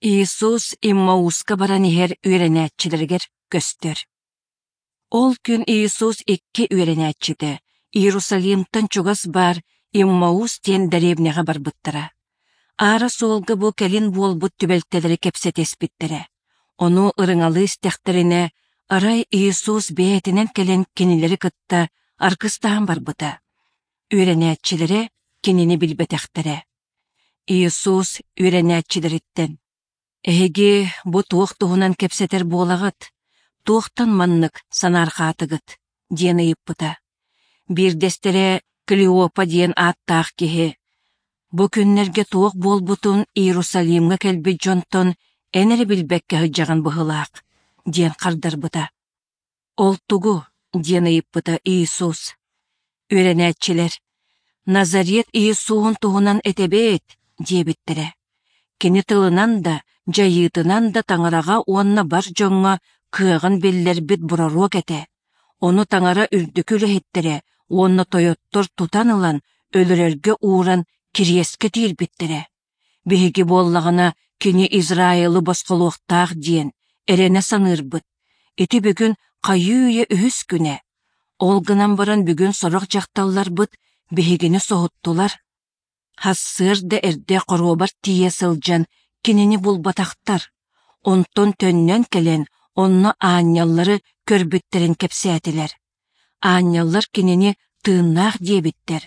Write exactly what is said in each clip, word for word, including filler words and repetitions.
Иисус Иммауска баран иһэр үөрэнээччилэригэр көстөр. Ол күн Иисус икки үөрэнээччитэ Иерусалимтан чугас баар Иммаус диэн дэриэбинэҕэ барбыттара. Аара суолга бу кэлин буолбут түбэлтэлэри кэпсэтиспиттэрэ. Ону ырыҥалыы истэхтэринэ, арай Иисус бэйэтинэн кэлэн кинилэри кытта аргыстаһан барбыта. Үөрэнээччилэрэ кинини билбэтэхтэрэ. Иисус үөрэнээччилэриттэн: «Эһиги бу туох туһунан кэпсэтэр буолаҕыт? Туохтан маннык санаарҕаатыгыт?» диэн ыйыппыта. Биирдэстэрэ Клеопа диэн ааттаах киһи: «Бу күннэргэ туох буолбутун Иерусалимҥа кэлбит дьонтон эн эрэ билбэккэ сылдьаҕын быһыылаах» диэн хардарбыта. «Ол тугу?» диэн ыйыппыта Иисус. Үөрэнээччилэр: «Назарет Иисуһун туһунан этэбит» диэбиттэрэ. Кини тылынан да, дьайыытынан да Таҥараҕа уонна бар дьоҥҥо кыаҕын биллэрбит бороруок этэ. Ону Таҥара үрдүкү үлэһиттэрэ уонна тойоттор тутан ылан өлөрөргө ууран кириэскэ тиирбиттэрэ. Биһиги буоллаҕына кини Израилы босхолуохтаах диэн эрэнэ саныырбыт. Ити бүгүн хайыы-үйэ үһүс күнэ. Ол гынан баран бүгүн сорох дьахталларбыт биһигини соһуттулар. Сарсыарда эрдэ хоруобар тиийэ сылдьан кинини булбатахтар. Онтон төннөн кэлэн онно аанньаллары көрбүттэрин кэпсээтилэр. Аанньаллар кинини тыыннаах диэбиттэр.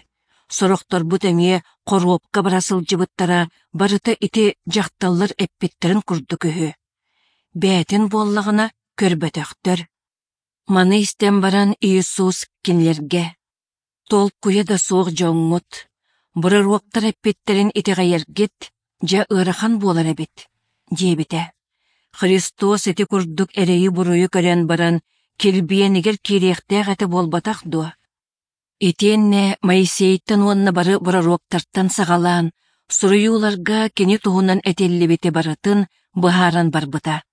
Сорохторбут эмиэ хоруопка бара сылдьыбыттара барыта ити дьахталлар эппиттэрин курдук үһү. Бэйэтин буоллаҕына көрбөтөхтөр. Маны истэн баран Иисус кинилэргэ: «Толкуйа да суох дьоҥҥут, бороруоктар эппиттэрин итэҕэйэргит дьэ ыарахан буолар эбит» диэбитэ. Христос ити курдук эрэйи-буруйу көрөн баран килбиэнигэр киириэхтээх этэ буолбатах дуо? Итиэннэ Моисейтан уонна бары бороруоктартан саҕалаан, суруйууларга кини туһунан этиллибити барытын быһааран барбыта.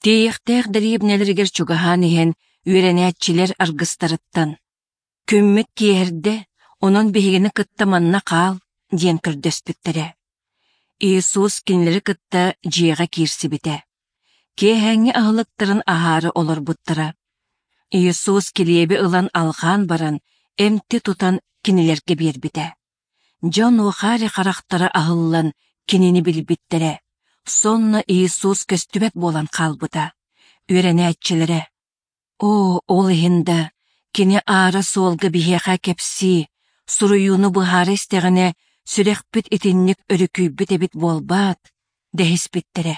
Тиийиэхтээх дэриэбинэлэригэр чугаһаан иһэн үөрэнээччилэр аргыстарыттан: «Күммүт киэһэрдэ, онон биһигини кытта манна хаал» диэн көрдөспүттэрэ. Иисус кинилэри кытта дьиэҕэ киирсибитэ. Киэһээҥҥи аһылыктарын аһаары олорбуттара. Иисус килиэби ылан алҕаан баран, эмти тутан кинилэргэ биэрбитэ. Дьон уохари харахтара аһыллан кинини билбиттэрэ. Сонно Иисус көстүбэт буолан хаалбыта. Үөрэнээччилэрэ: «Оо, ол иһин да, кини аара суолга биһиэхэ кэпсии, суруйууну быһаара истэҕинэ, сүрэхпит итинник өрүкүйбүт эбит буолбаат?» дэһиспиттэрэ.